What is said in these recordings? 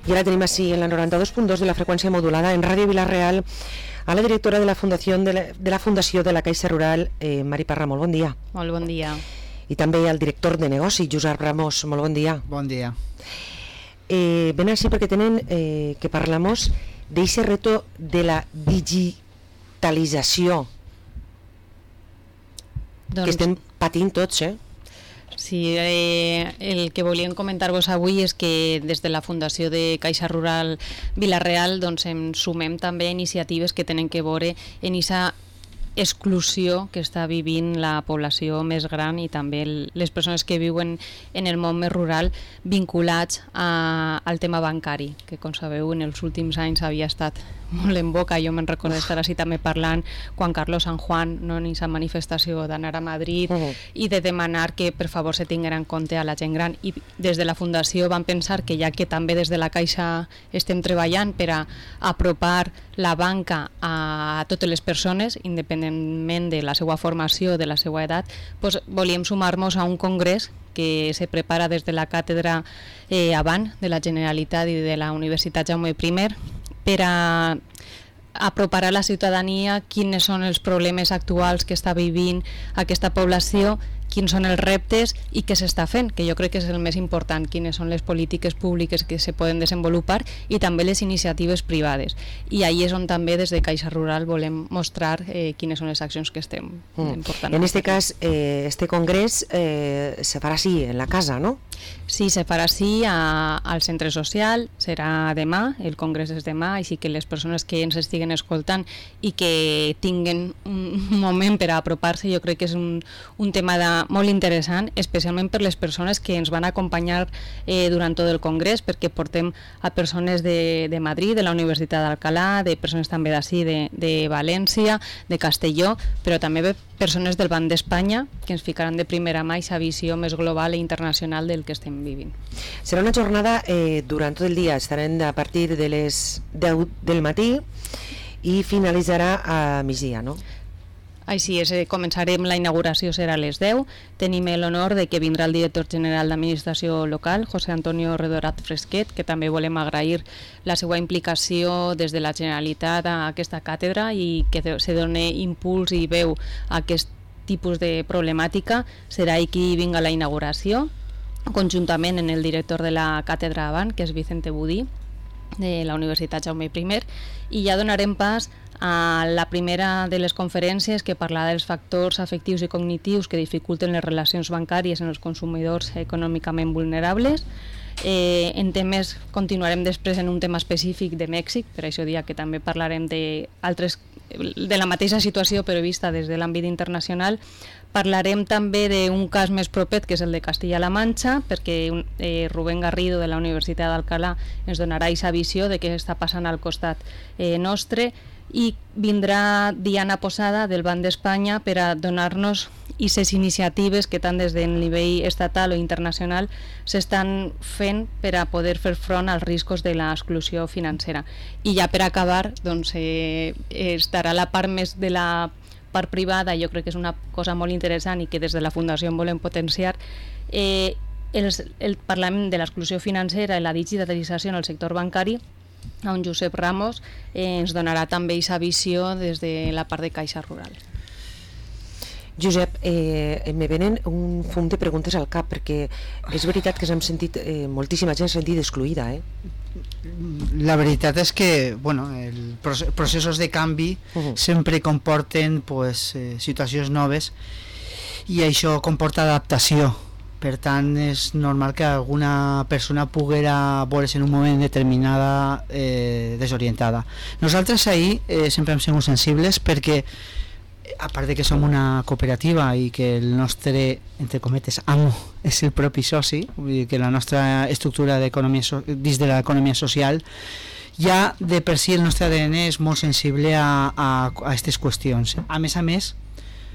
I ara tenim així en la 92.2 de la freqüència modulada en Ràdio Vila-real a la directora de la Fundació de la Caixa Rural, Mari Parra. Molt bon dia. Molt bon dia. I també al director de negoci, Josep Ramos. Molt bon dia. Bon dia. Ven així perquè tenen que parlamos d'aquest reto de la digitalització que estem patint tots, Sí, el que volíem comentar-vos avui és que des de la Fundació de Caixa Rural Vila-real doncs ens sumem també a iniciatives que tenen que veure en aquesta exclusió que està vivint la població més gran i també les persones que viuen en el món més rural vinculats al tema bancari, que com sabeu en els últims anys havia estat molt en boca. Jo me'n recordo d'estar així també parlant quan Carlos San Juan, no, en aquesta manifestació d'anar a Madrid i de demanar que per favor se tinguera en compte a la gent gran, i des de la Fundació van pensar que ja que també des de la Caixa estem treballant per a apropar la banca a totes les persones, independentment de la seva formació, de la seva edat, doncs volíem sumar-nos a un congrés que se prepara des de la càtedra Avant de la Generalitat i de la Universitat Jaume I per a apropar a la ciutadania quins són els problemes actuals que està vivint aquesta població, quins són els reptes i què s'està fent, que jo crec que és el més important, quines són les polítiques públiques que se poden desenvolupar i també les iniciatives privades. I ahí és on també des de Caixa Rural volem mostrar quines són les accions que estem portant. En aquest cas, este congrés se farà així, en la casa, no? Sí, se farà així al centre social, serà demà, el congrés és demà, així que les persones que ens estiguen escoltant i que tinguen un moment per a apropar-se, jo crec que és un tema molt interessant, especialment per les persones que ens van acompanyar durant tot el congrés, perquè portem a persones de Madrid, de la Universitat d'Alcalá, de persones també d'ací, de València, de Castelló, però també persones del Banc d'Espanya que ens ficaran de primera mà aquesta visió més global i internacional del que estem vivint. Serà una jornada durant tot el dia, estarem a partir de les 10 del matí i finalitzarà a migdia, no? Així és, començarem, la inauguració serà a les 10, tenim l'honor de que vindrà el director general d'Administració Local, José Antonio Redorat Fresquet, que també volem agrair la seva implicació des de la Generalitat a aquesta càtedra i que se doni impuls i veu a aquest tipus de problemàtica. Serà ell qui vinga a la inauguració, conjuntament amb el director de la càtedra Avant, que és Vicente Budí, de la Universitat Jaume I, i ja donarem pas a la primera de les conferències que parlarà dels factors afectius i cognitius que dificulten les relacions bancàries en els consumidors econòmicament vulnerables. En temes, continuarem després en un tema específic de Mèxic, per això dia que també parlarem de la mateixa situació però vista des de l'àmbit internacional. Parlarem també d'un cas més proper, que és el de Castilla-La Manxa, perquè Rubén Garrido de la Universitat d'Alcalá ens donarà aquesta visió de què està passant al costat nostre, i vindrà Diana Posada del Banc d'Espanya per a donar-nos aquestes iniciatives que tant des del nivell estatal o internacional s'estan fent per a poder fer front als riscos de l'exclusió financera. I ja per acabar, doncs, estarà la part més de la part privada, jo crec que és una cosa molt interessant i que des de la Fundació en volem potenciar, el Parlament de l'exclusió financera i la digitalització en el sector bancari, on Josep Ramos ens donarà també aquesta visió des de la part de Caixa Rural. Josep, me venen un fum de preguntes al cap, perquè és veritat que s'hem sentit, moltíssima gent s'ha sentit excluïda, La veritat és que els processos de canvi sempre comporten situacions noves i això comporta adaptació. Per tant, és normal que alguna persona poguera veure's en un moment determinada desorientada. Nosaltres ahir sempre hem sigut sensibles perquè, a part de que som una cooperativa i que el nostre, entre cometes, amo és el propi soci, vull dir que la nostra estructura dins de l'economia social, ja de per si el nostre ADN és molt sensible a aquestes qüestions. A més,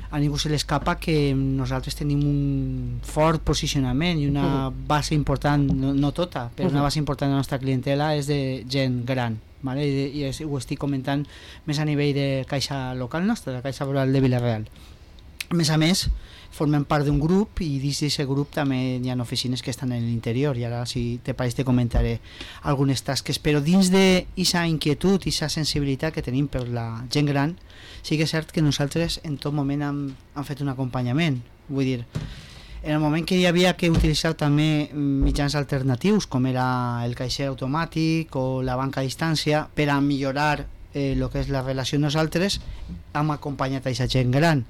a ningú se l'escapa que nosaltres tenim un fort posicionament i una base important, no tota, però una base important de la nostra clientela és de gent gran, vale? I ho estic comentant més a nivell de caixa local nostra, de Caixa Rural de Vila-real. A més, formem part d'un grup i dins d'aquest grup també hi ha oficines que estan en l'interior i ara si te pareix te comentaré algunes tasques, però dins d'aquesta inquietud i aquesta sensibilitat que tenim per la gent gran, sí que és cert que nosaltres en tot moment hem fet un acompanyament, vull dir, en el moment que hi havia que utilitzar també mitjans alternatius com era el caixer automàtic o la banca a distància per a millorar el que és la relació amb nosaltres, hem acompanyat a aquesta gent gran.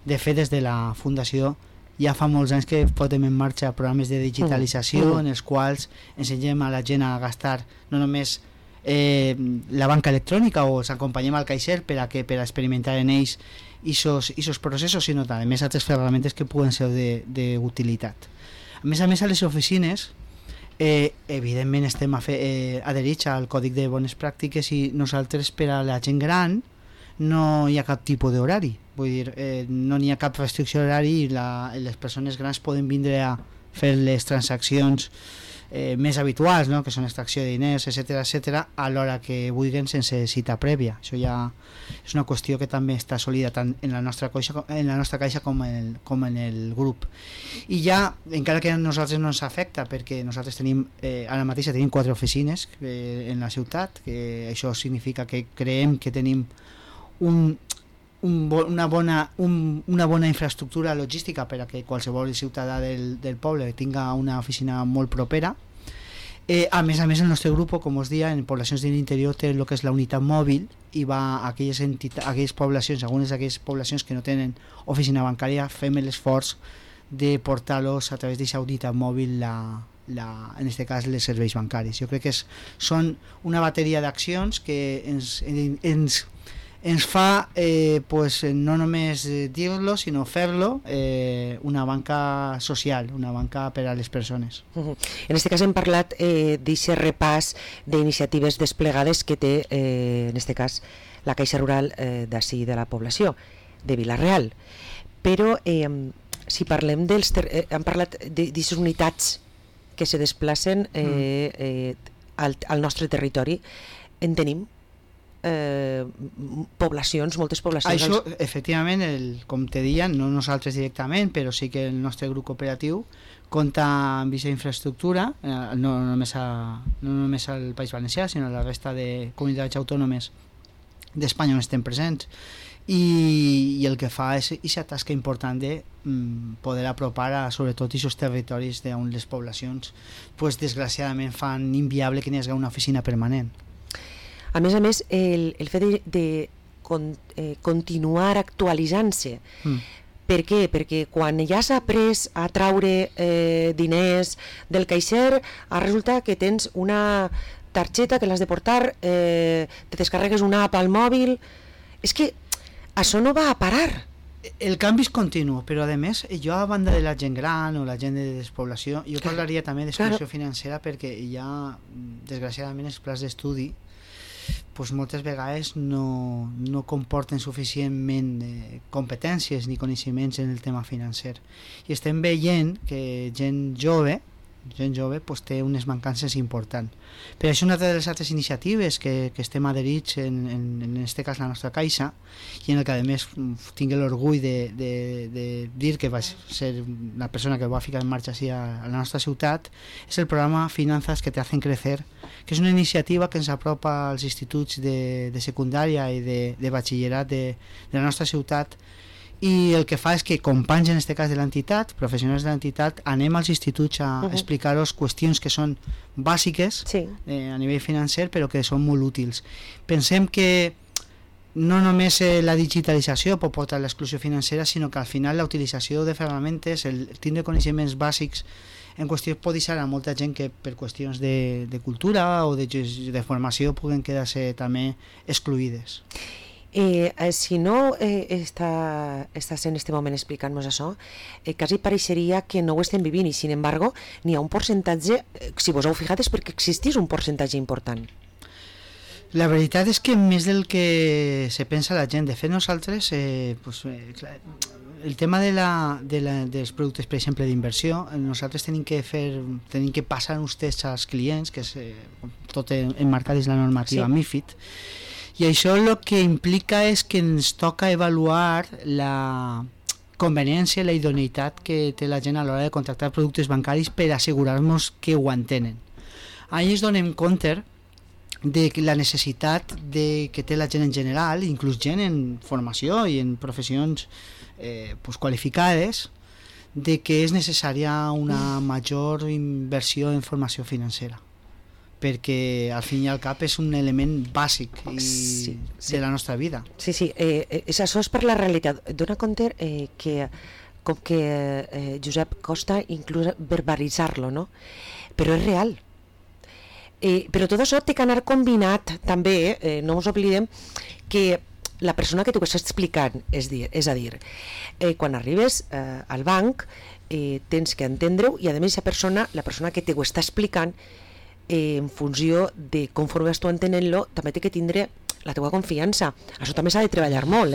De fet, des de la Fundació ja fa molts anys que posem en marxa programes de digitalització en els quals ensenyem a la gent a gastar no només la banca electrònica o els acompanyem al caixer per a experimentar en ells aquests processos, sinó també altres ferramentes que puguen ser d'utilitat. A més, a les oficines evidentment estem adherits al Còdic de Bones Pràctiques i nosaltres per a la gent gran no hi ha cap tipus d'horari, vull dir, no n'hi ha cap restricció d'horari i les persones grans poden vindre a fer les transaccions més habituals, no? Que són extracció de diners, etc a l'hora que vulguin sense cita prèvia. Això ja és una qüestió que també està assolida tant en la nostra caixa com en el grup. I ja, encara que a nosaltres no ens afecta, perquè nosaltres tenim, ara mateix tenim 4 oficines en la ciutat, que això significa que creiem que tenim una bona infraestructura logística per a que qualsevol ciutadà del poble tinga una oficina molt propera. A més, el nostre grup, com us deia, en poblacions de l'interior té el que és la unitat mòbil i va a aquelles poblacions, algunes d'aquelles poblacions que no tenen oficina bancària, fem l'esforç de portar-los a través d'aquesta unitat mòbil en aquest cas els serveis bancaris. Jo crec que són una bateria d'accions que ens fa no només dir-lo sinó fer-lo una banca social, una banca per a les persones. En aquest cas hem parlat d'aquest repàs d'iniciatives desplegades que té en aquest cas la Caixa Rural d'ací de la població de Vila-real, però si parlem hem parlat d'aquestes unitats que se desplacen al nostre territori, en tenim moltes poblacions. Això, efectivament, com te deia, no nosaltres directament, però sí que el nostre grup operatiu compta amb aquesta infraestructura, no només al País Valencià, sinó a la resta de comunitats autònomes d'Espanya on estem presents, i el que fa és aquesta tasca important de poder apropar a sobretot aquests territoris on les poblacions desgraciadament fan inviable que n'hi hagi una oficina permanent. A més, el fet de continuar actualitzant-se. Per què? Perquè quan ja s'ha après a traure diners del caixer, resulta que tens una targeta que l'has de portar, te descarregues una app al mòbil. És que això no va a parar. El canvi és continu, però a més, jo a banda de la gent gran o la gent de despoblació, jo parlaria també d'exclusió financera, perquè ja, desgraciadament, els plans d'estudi moltes vegades no comporten suficientment competències ni coneixements en el tema financer, i estem veient que gent jove té unes mancances importants. Per això una de les altres iniciatives que estem adherits en aquest cas la nostra caixa, i en el que a més tinc l'orgull de dir que va ser la persona que va ficar en marxa a la nostra ciutat, és el programa Finanzas que te hacen crecer, que és una iniciativa que ens apropa als instituts de secundària i de batxillerat de la nostra ciutat, i el que fa és que companys, en aquest cas de l'entitat, professionals de l'entitat, anem als instituts a explicar-los qüestions que són bàsiques a nivell financer, però que són molt útils. Pensem que no només la digitalització pot portar a l'exclusió financera, sinó que al final la utilització de ferramentes, el tindre coneixements bàsics en qüestió pot deixar a molta gent que per qüestions de cultura o de formació puguen quedar-se també excluïdes. Si no estàs en aquest moment explicant-nos això, quasi pareixeria que no ho estem vivint, i sin embargo n'hi ha un percentatge, si vos heu fijat és perquè existís un percentatge important. La veritat és que més del que se pensa la gent. De fet, nosaltres el tema dels productes, per exemple, d'inversió, nosaltres tenim que passar uns tests als clients, que és tot emmarcat dins la normativa MiFID, i això el que implica és que ens toca avaluar conveniència i la idoneïtat que té la gent a l'hora de contractar productes bancaris per assegurar-nos que ho entenen. Ahí ens donem compte de la necessitat que té la gent en general, inclús gent en formació i en professions qualificades, de que és necessària una major inversió en formació financera, perquè al fin i al cap és un element bàsic de la nostra vida. Sí, això és per la realitat. Dóna compte que com que Josep costa inclús verbalitzar-lo, no? Però és real. Però tot això té que anar combinat també, no ens oblidem que la persona que t'ho està explicant, és a dir, quan arribes al banc tens que entendre-ho, i a més la persona que t'ho està explicant, en funció de conforme vas tu entenent-lo, també té que tindre la teva confiança. Això també s'ha de treballar molt,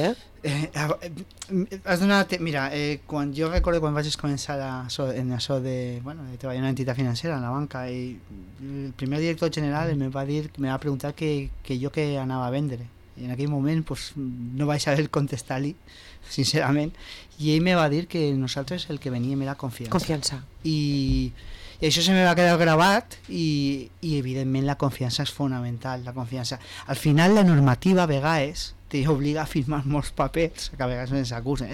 has donat, mira, quan jo recordo quan vaig començar en això de treballar en una entitat financera, en la banca, i el primer director general me va preguntar que jo què anava a vendre, i en aquell moment no vaig saber contestar-li, sincerament, i ell me va dir que nosaltres el que veníem era confiança. I això se me va quedar gravat, i evidentment la confiança és fonamental. La confiança, al final la normativa a vegades t'obliga a firmar molts papers, que a vegades ens acusen,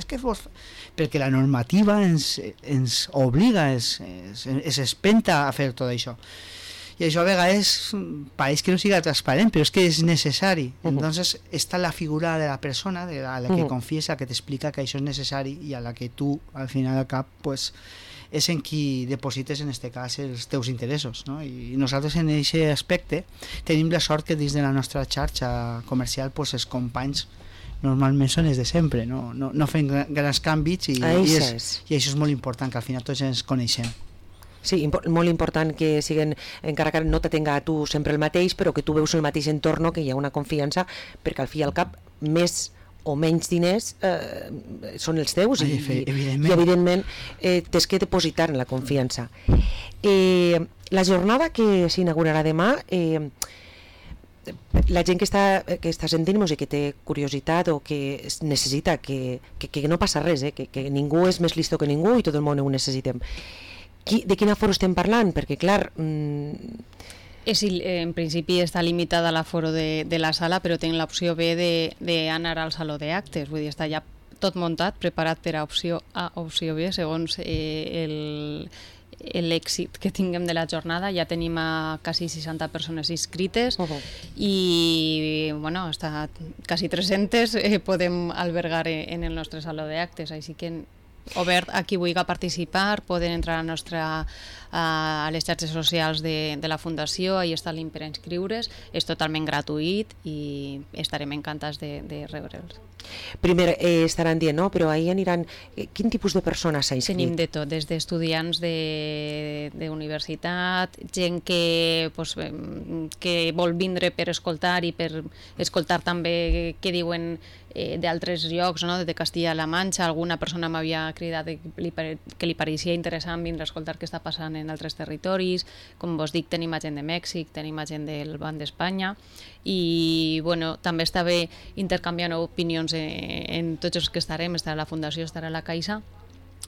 perquè la normativa ens obliga, es espenta a fer tot això, i això a vegades pareix que no siga transparent, però és que és necessari. Entonces està la figura de la persona a la que confiesa, que t'explica que això és necessari, i a la que tu al final al cap és en qui deposites en este cas els teus interessos, no? I nosaltres en aquest aspecte tenim la sort que dins de la nostra xarxa comercial els companys normalment són els de sempre, no fem grans canvis, i això és molt important, que al final tots ens coneixem. Sí, molt important que siguin, encara que no te tenga a tu sempre el mateix, però que tu veus el mateix entorn, que hi ha una confiança, perquè al fi i al cap més o menys diners són els teus, i evidentment tens que depositar en la confiança. La jornada que s'inaugurarà demà, la gent que està sentint-nos i que té curiositat o que necessita, que no passa res, que ningú és més listo que ningú i tot el món ho necessitem. De quin aforo estem parlant? Perquè, clar... En principi està limitada l'aforo de la sala, però tenim l'opció B d'anar al saló d'actes. Vull dir, està ja tot muntat, preparat per a opció A o opció B, segons l'èxit que tinguem de la jornada. Ja tenim a quasi 60 persones inscrites i està quasi 300 podem albergar en el nostre saló d'actes, així que obert a qui vulgui participar, poden entrar a les xarxes socials de la Fundació, ahí està el link per inscriure's, és totalment gratuït i estarem encantats de rebre'ls. Primer estaran dient, no? Però ahir aniran... Quin tipus de persones s'ha inscrit? Tenim de tot, des d'estudiants d'universitat, gent que vol vindre per escoltar i per escoltar també què diuen d'altres llocs, de Castilla-La Manxa. Alguna persona m'havia cridat que li pareixia interessant vindre a escoltar què està passant en altres territoris. Com vos dic, tenim gent de Mèxic, tenim gent del Banc d'Espanya, i també està bé intercanviant opinions en tots els que estarem. Estarà la Fundació, estarà la Caixa,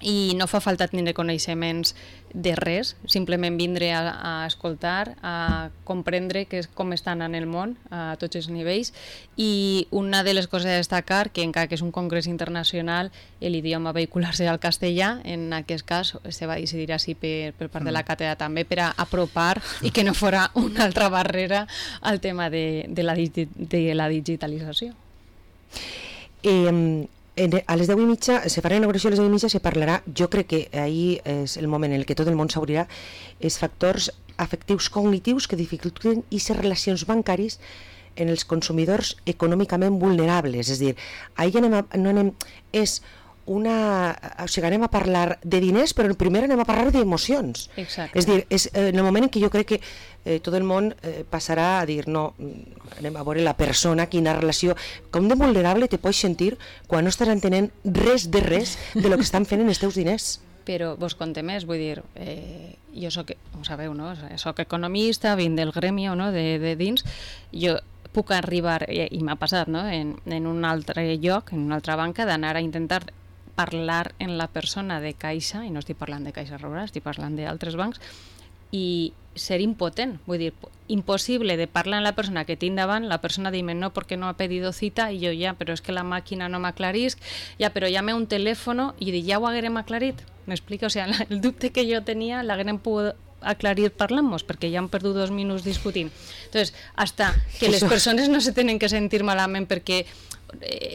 i no fa falta tenir coneixements de res, simplement vindre a escoltar, a comprendre com estan en el món a tots els nivells. I una de les coses a destacar, que encara que és un congrés internacional, l'idioma vehicular serà el castellà. En aquest cas se va decidir així per part de la càtedra també, per a apropar i que no fora una altra barrera al tema de la digitalització. A les 10:30 se farà la inauguració, a les 10:30 se parlarà, jo crec que ahir és el moment en què tot el món s'obrirà, els factors afectius cognitius que dificulten aquestes relacions bancaris en els consumidors econòmicament vulnerables. És a dir, ahir anem a parlar de diners, però primer anem a parlar d'emocions. Exacte. És a dir, és en el moment en què jo crec que tot el món passarà a dir, no, anem a veure la persona, quina relació, com de vulnerable te pots sentir quan no estàs entenent res de lo que estan fent en els teus diners. Però vos conté més, vull dir, jo soc, ho sabeu, no? Soc economista, vinc del gremi, no? de dins, jo puc arribar, i m'ha passat, no? en un altre lloc, en una altra banca, d'anar a intentar parlar en la persona de Caixa, i no estic parlant de Caixa Rural, estic parlant d'altres bancs, i ser impotent, vull dir, imposible de parlar en la persona que tinc davant, la persona dime no porque no ha pedido cita, i jo ja, però és que la màquina no m'aclarisc, ja, però llame un telèfono, i dic, ja ho haguerem aclarit, m'explica? O sigui, el dubte que jo tenia l'haguerem pogut aclarir parlant-nos, perquè ja han perdut 2 minuts discutint. Entonces, hasta que les persones no se tenen que sentir malament perquè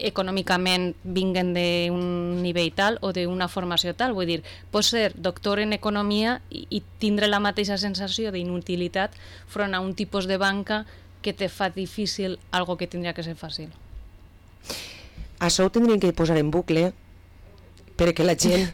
econòmicament vinguen d'un nivell tal o d'una formació tal, vull dir, pots ser doctor en economia i tindre la mateixa sensació d'inutilitat front a un tipus de banca que te fa difícil algo que tindria que ser fàcil. Això ho tindríem que posar en bucle perquè la gent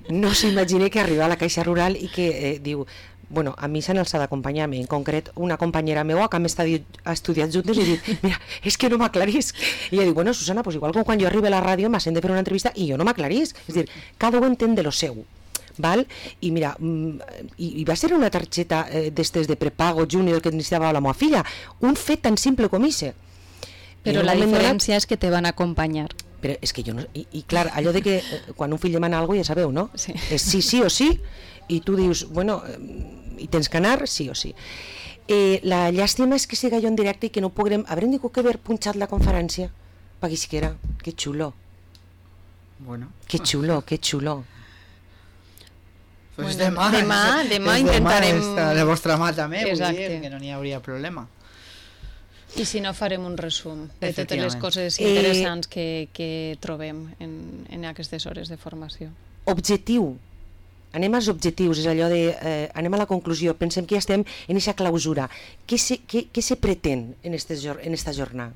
no s'imagini que arriba a la Caixa Rural i que diu, bueno, a mi s'han alçat d'acompanyar-me, en concret una companyera meua que ha estudiat juntes i dit, mira, és que no m'aclarisc. I ella diu, bueno, Susana, pues igual com quan jo arribo a la ràdio m'has de fer una entrevista i jo no m'aclarisc. És a dir, cada un entén de lo seu. Val? I mira, i va ser una targeta d'estes de prepago júnior que necessitava la meva filla, un fet tan simple com ese. Però la diferència és que te van acompanyar. Però és que jo no... I clar, allò de que quan un fill demana alguna cosa ja sabeu, no? Sí. És sí o sí, i tu dius, bueno, i tens que anar sí o sí. La llàstima és que siga jo en directe i que no podrem... Haurem dit que haver punxat la conferència per aquí siquiera. Que xulo. Bueno. Que xulo, que xulo. Pues bueno, demà intentarem... De vostra mà també, vull Exacte. dir que no n'hi hauria problema. I si no, farem un resum de totes les coses interessants que trobem en aquestes hores de formació. Objectiu. Anem als objectius, és allò de... anem a la conclusió, pensem que ja estem en aquesta clausura. Què se pretén en esta jornada?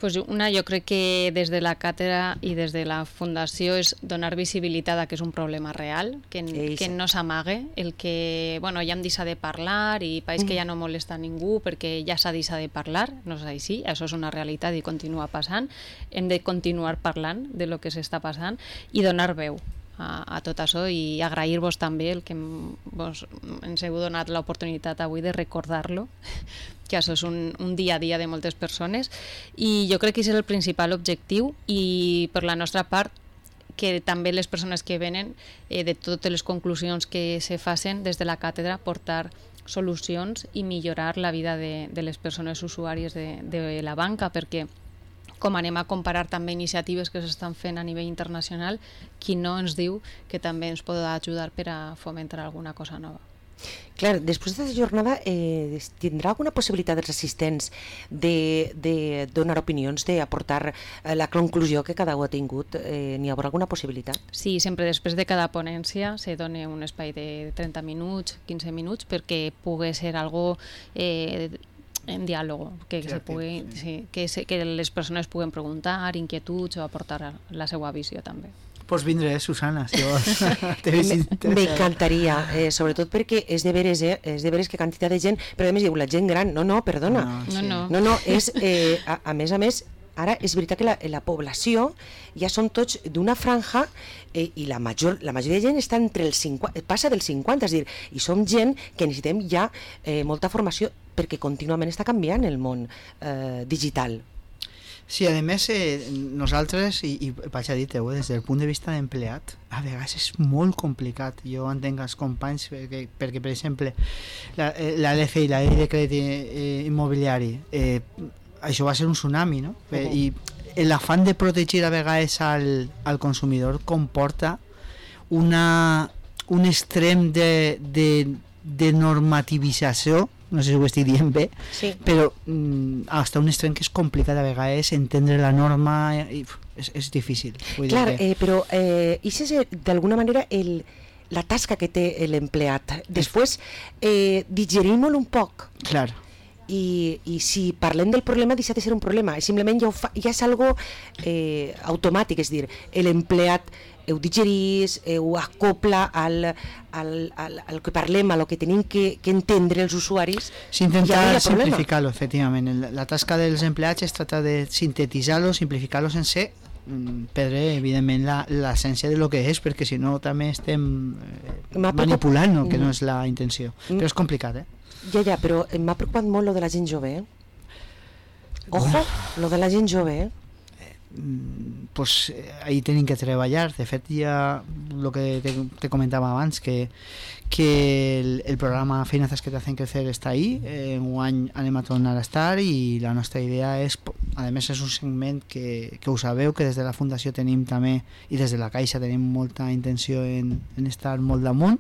Pues jo crec que des de la càtedra i des de la fundació és donar visibilitat a que és un problema real, que no s'amague, el que ja hem deixat de parlar i pareix que ja no molesta a ningú perquè ja s'ha deixat de parlar, no és així, això és una realitat i continua passant, hem de continuar parlant de lo que s'està passant i donar veu a tot això i agrair-vos també el que ens heu donat l'oportunitat avui de recordar-lo, que això és un dia a dia de moltes persones i jo crec que és el principal objectiu i per la nostra part que també les persones que venen de totes les conclusions que se facin des de la càtedra portar solucions i millorar la vida de les persones usuàries de la banca perquè com anem a comparar també iniciatives que s'estan fent a nivell internacional, qui no ens diu que també ens pot ajudar per a fomentar alguna cosa nova. Clar, després d'aquesta jornada tindrà alguna possibilitat dels assistents de donar opinions, d'aportar la conclusió que cada un ha tingut? N'hi haurà alguna possibilitat? Sí, sempre després de cada ponència se dona un espai de 30 minuts, 15 minuts, perquè pugui ser algo en diàleg, que les persones puguen preguntar, inquietuds o aportar la seva visió també. Pues vindré, Susana, si vols. M'encantaria, sobretot perquè és de veres que quantitat de gent, però a més diu la gent gran, perdona. No, és, a més, ara és veritat que la població ja són tots d'una franja i la majoria de gent està entre els 50, passa dels 50, és a dir, i som gent que necessitem ja molta formació perquè contínuament està canviant el món digital. Sí, a més, nosaltres, i vaig a dir-te, des del punt de vista d'empleat, a vegades és molt complicat. Jo entenc els companys perquè per exemple, la LFI, la llei de crèdit immobiliari, això va ser un tsunami, no? I l'afany de protegir a vegades al consumidor comporta un extrem de normativització, no sé si ho estic dient bé, sí. Però fins un extrem que és complicat a vegades entendre la norma, és difícil. Clar, però això és d'alguna manera la tasca que té l'empleat. Després digerim-lo un poc. Clar. I si parlem del problema deixa de ser un problema, simplement ja és algo automàtic, és dir, l'empleat ho digerís, ho acopla al que parlem, al que tenim que entendre els usuaris. S'intenta simplificar-lo, efectivament. La tasca dels empleats es tracta de sintetitzar-lo, simplificar-lo sense perdre, evidentment, l'essència de lo que és, perquè si no també estem manipulant, que no és la intenció. Però és complicat, Ja, però m'ha preocupat molt lo de la gent jove, Ojo, lo de la gent jove, pues ahí tenim que treballar. De fet, ja el que te comentava abans, que el programa Finanzas que te hacen crecer està ahí, un any anem a tornar a estar, i la nostra idea és, a més és un segment que ho sabeu, que des de la Fundació tenim també, i des de la Caixa tenim molta intenció en estar molt damunt,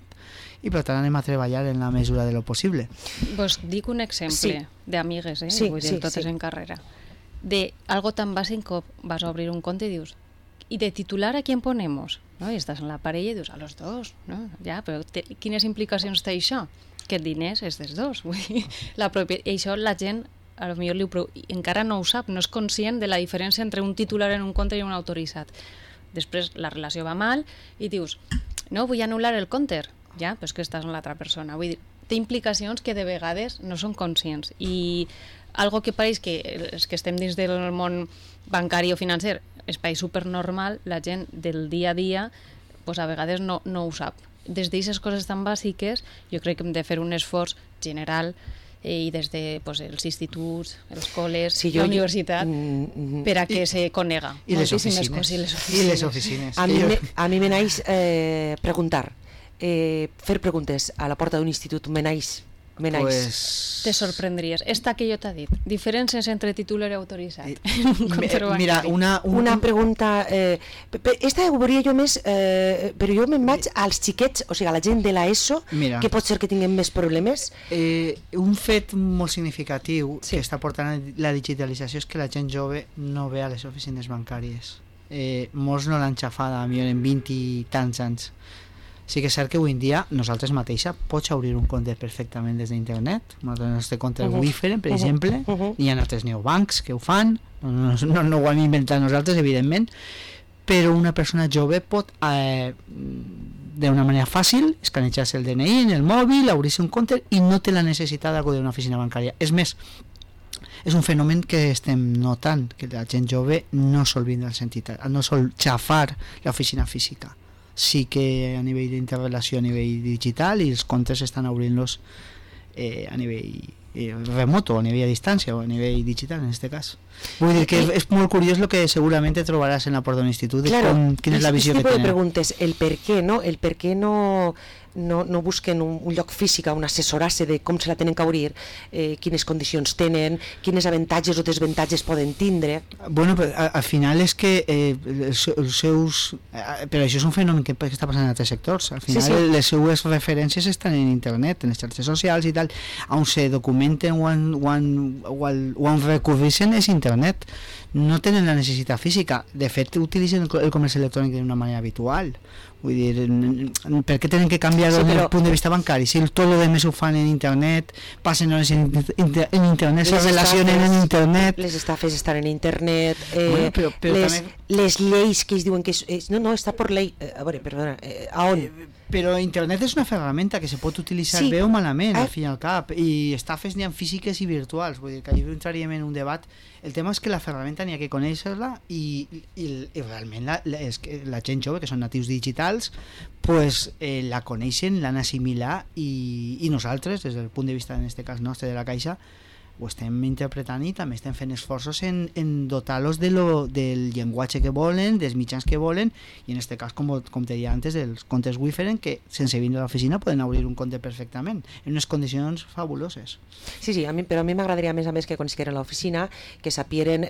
i per tant anem a treballar en la mesura de lo possible. Vos dic un exemple d'amigues, vull dir, totes en carrera, de algo tan bàsic com vas a obrir un compte i dius, ¿y de titular a quién ponemos? ¿No? Y estás en la parella i dius, a los dos, ¿no? Ja, però quines implicacions té això? Que el diners és dels dos. Vull dir, i això la gent a lo millor encara no ho sap, no és conscient de la diferència entre un titular en un compte i un autoritzat. Després la relació va mal i dius, no, vull anul·lar el compte. Ja, però és que estàs amb l'altra persona. Vull dir, té implicacions que de vegades no són conscients. I algo que pareix que els que estem dins del món bancari o financer, espai supernormal, la gent del dia a dia pues a vegades no ho sap. Des d'aquestes coses tan bàsiques jo crec que hem de fer un esforç general i des de els instituts, els col·les, la universitat, per a que se conega. I les oficines. A mi me naix preguntar, fer preguntes a la porta d'un institut me naix. Te sorprendries. Esta que jo t'ha dit, diferències entre titular i autoritzat. Mira, una pregunta, esta ho veuria jo més, però jo me'n vaig als xiquets, o sigui, a la gent de l'ESO, que pot ser que tinguem més problemes. Un fet molt significatiu que està portant la digitalització és que la gent jove no ve a les oficines bancàries. Molts no l'han xafada, a mi en 20 i tants anys. Sí que és cert que avui en dia nosaltres mateixa pots obrir un compte perfectament des d'internet. El nostre compte Wiferen, per exemple, hi ha altres neobancs que ho fan, no ho hem inventat nosaltres, evidentment, però una persona jove pot d'una manera fàcil escanejar-se el DNI en el mòbil, obrir-se un compte i no té la necessitat d'acudir a una oficina bancària. És més, és un fenomen que estem notant, que la gent jove no sol vindre al sentit, no sol xafar l'oficina física. Sí que a nivell d'interrelació a nivell digital, i els comptes estan obrint-los a nivell remoto, a nivell a distància o a nivell digital en aquest cas. Vull dir que és molt curiós el que segurament te trobaràs en la porta d'un institut, quina és la visió que tenen. Preguntes, el per què no busquen un lloc físic on assessorar-se de com se la tenen que obrir, quines condicions tenen, quines avantatges o desavantatges poden tindre. Bueno, al final és que els seus... Però això és un fenomen que està passant en altres sectors. Al final les seues referències estan en internet, en les xarxes socials i tal, on se documenten o on recurreixen és internet. No tenen la necessitat física. De fet, utilitzen el comerç electrònic d'una manera habitual. Vull dir, per què tenen que canviar des del punt de vista bancari? Si tot el demés ho fan en internet, passen hores en internet, se relacionen en internet... Les estafes estan en internet, les lleis que es diuen que... No, està per llei... A veure, perdona, a on? Però internet és una ferramenta que se pot utilitzar bé o malament, al fin i al cap, i estafes n'hi ha físiques i virtuals, vull dir que allà entraríem en un debat. El tema és que la ferramenta n'hi ha que conèixer-la i realment la gent jove, que són natius digitals, pues, la coneixen, l'han assimilat i nosaltres, des del punt de vista, en aquest cas nostre, de la Caixa, ho estem interpretant i també estem fent esforços en dotar-los del llenguatge que volen, dels mitjans que volen, i en aquest cas, com te deia antes, dels comptes Wiferen, que sense vindre a l'oficina poden obrir un compte perfectament, en unes condicions fabuloses. Sí, però a mi m'agradaria més a més que quan estiguin a l'oficina, que sapieren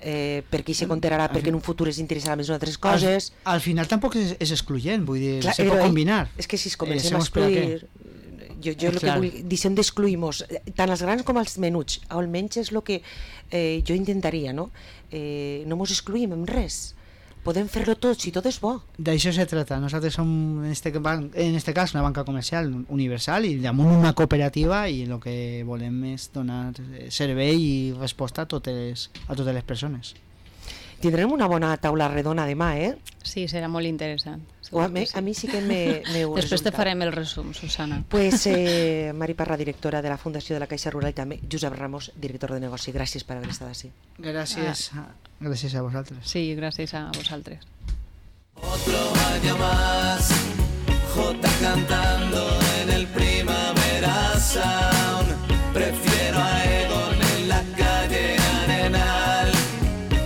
per què se comptarà, perquè en un futur es interessarà més en altres coses. Al final tampoc és excloent, vull dir, se pot combinar. És que si es comencem a excluir... Jo el que vull dir, deixem d'excluir-nos, tant els grans com els menuts, almenys és el que jo intentaria, no? No mos excluïm en res, podem fer-lo tot, si tot és bo. D'això se trata, nosaltres som en este cas una banca comercial universal i damunt una cooperativa, i el que volem és donar servei i resposta a totes les persones. Tindrem una bona taula redona demà, Sí, serà molt interessant. A mi sí que m'heu Després te farem el resum, Susana. Pues Mari Parra, directora de la Fundació de la Caixa Rural, i també Josep Ramos, director de negoci. Gràcies per haver estat així. Gràcies a vosaltres. Sí, gràcies a vosaltres. Otro año más, Jota cantando en el Primavera Sound.